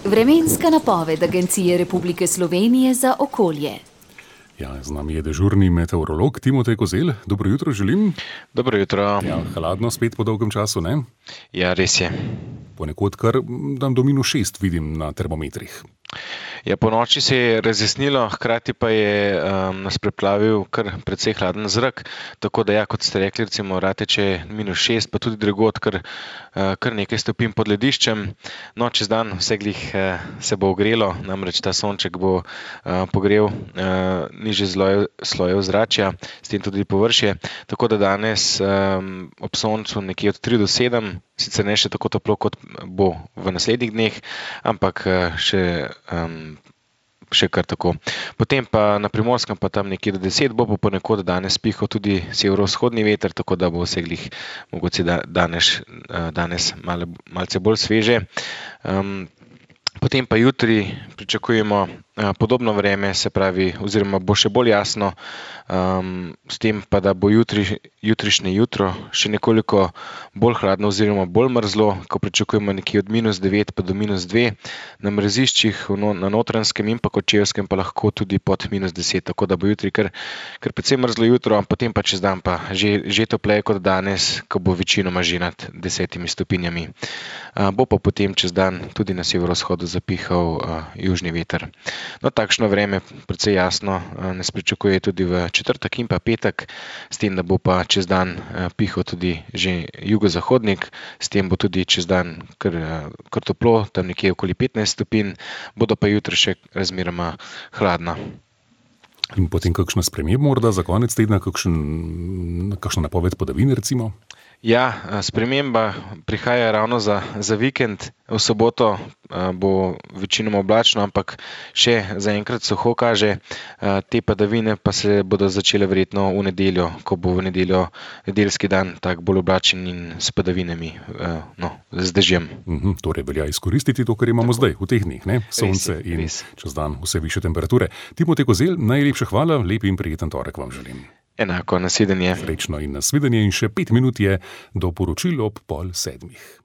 Vremenska napoved Agencije Republike Slovenije za okolje. Ja, z nami je dežurni meteorolog Timotej Kozelj. Dobro jutro želim. Dobro jutro. Ja, hladno spet po dolgem času, ne? Ja, res je. Ponekod kar dan do -6 vidim na termometrih. Ja, po noči se je razjasnilo, hkrati pa je nas preplavil kar precej hladen zrak, tako da ja, kot ste rekli, recimo Rateče -6, pa tudi drugod kar nekaj stopinj pod lediščem. No, čez dan vse glih se bo ogrelo, namreč ta sonček bo pogrel nižje sloje ozračja, s tem tudi površje, tako da danes ob soncu nekje od 3 do 7, sicer ne še tako toplo, kot bo v naslednjih dneh, ampak še kar tako. Potem pa na Primorskem pa tam nekje do 10 bo ponekod danes pihal tudi severovzhodni veter, tako da bo vse glih mogoče danes malce bolj sveže. Potem pa jutri pričakujemo podobno vreme, se pravi, oziroma bo še bolj jasno, s tem pa, da bo jutrišnje jutro še nekoliko bolj hladno oziroma bolj mrzlo, ko pričakujemo nekje od -9 pa do -2, na mrziščih na Notranjskem in pa Kočevskem pa lahko tudi pod -10, tako da bo jutri kar precej mrzlo jutro, potem pa čez dan pa že topleje kot danes, ko bo večinoma že nad 10 stopinjami. Bo pa potem čez dan tudi na severovzhodu zapihal južni veter. No, takšno vreme precej jasno nas pričakuje tudi v četrtek in pa petek, s tem, da bo pa čez dan pihal tudi že jugozahodnik, s tem bo tudi čez dan kar toplo, tam nekje okoli 15 stopinj, bodo pa jutri še razmeroma hladna. In potem kakšna sprememba morda za konec tedna, kakšna napoved padavin recimo? Ja, sprememba prihaja ravno za vikend. V soboto bo večinoma oblačno, ampak še zaenkrat suho kaže. Te padavine pa se bodo začele verjetno v nedeljo, ko bo v nedeljo nedeljski dan tak bolj oblačen in s padavinami, z dežjem. Torej velja izkoristiti to, kar imamo zdaj, v teh dneh, ne? Sonce in čez dan vse višje temperature. Timotej Kozelj, najlepša hvala, lep in prijeten torek vam želim. Enako, nasvidenje. Srečno in nasvidenje in še 5 minut je do poročil ob 6:30.